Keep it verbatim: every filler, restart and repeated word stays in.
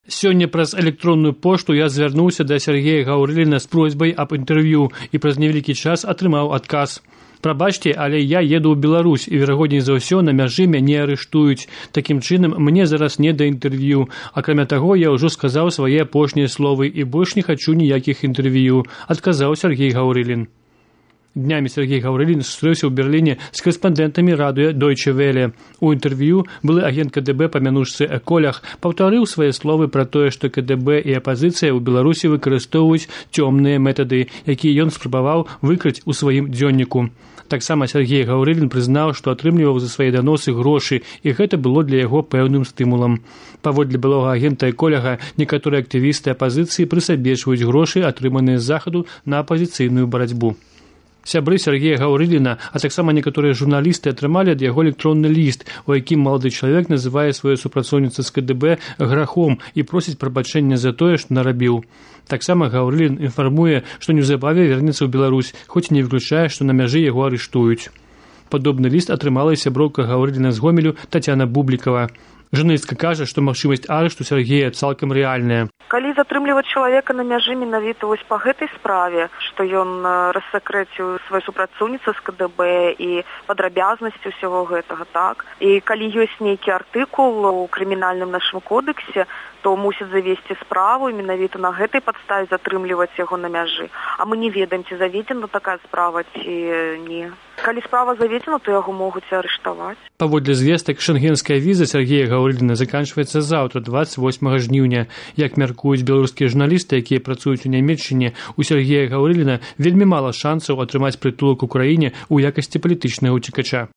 Сёння праз электронную пошту я звярнуўся да Сергея Гаўрыліна з просьбай аб інтэрв'ю і праз невялікі час атрымаў адказ. Прабачце, але я еду ў Беларусь і, верагодней за ўсё, на мяжы мяне арыштуюць. Такім чынам, мне зараз не да інтэрв'ю. Акрамя таго, я ўжо сказаў свае апошнія словы і больш не хачу ніякіх інтэрв'ю, адказаў Сергей Гаўрылін. Днямі Сергей Гаўрылін сустрэўся ў Берліне з корэспандэнтамі радыё Deutsche Welle. У інтэрв'ю былы агент ка дэ бэ па мянушцы Эколях паўтарыў свае словы пра тое, што ка дэ бэ і апазіцыя ў Беларусі выкарыстоўваюць цёмныя метады, якія ён спрабаваў выкрыць у сваім дзённіку. Таксама Сергей Гаўрылін прызнаў, што атрымліваў за свае даносы грошы, і гэта было для яго пэўным стымулам. Паводле былога агента Эколяга, некаторыя актывісты апазіцыі прысабечваюць грошы, атрыманыя з захаду на апазіцыйную барацьбу. Сябры Сергея Гаўрыліна, а таксама некаторыя журналісты атрымалі ад яго электронны ліст, у якім малады чалавек называе сваю супрацоўніцу з ка дэ бэ грахом і просіць прабачэння за тое, што нарабіў. Таксама Гаўрылін інфармуе, што неўзабаве вернецца ў Беларусь, хоць не выключае, што на мяжы яго арыштуюць. Падобны ліст атрымала і сяброўка Гаўрыліна з Гомелю Тацяна Бублікава. Журналістка кажа, што магчымасць арышту Сергея цалкам рэальная. Калі затрымліваць чалавека на мяжы менавіта вось па гэтай справе, што ён рассакрэціў сваю супрацоўніцу з ка дэ бэ і падрабязнасці ўсяго гэтага, так? І калі ёсць нейкі артыкул у крымінальным нашым кодексе, то мусіць завесці справу і менавіта на гэтай падставе затрымліваць яго на мяжы. А мы не ведаем, ці заведзена такая справа, ці не. Калі справа заведзена, то яго могуць арыштаваць. Паводле звестак, шэнгенская віза Сергея Гаўрыліна заканчваецца заўтра, дваццаць восьмага жніўня. Як мяркуюць беларускія журналісты, якія працуюць у Нямецчыне, у Сергея Гаўрыліна вельмі мала шансаў атрымаць прытулак у краіне ў якасці палітычнага ўцекача.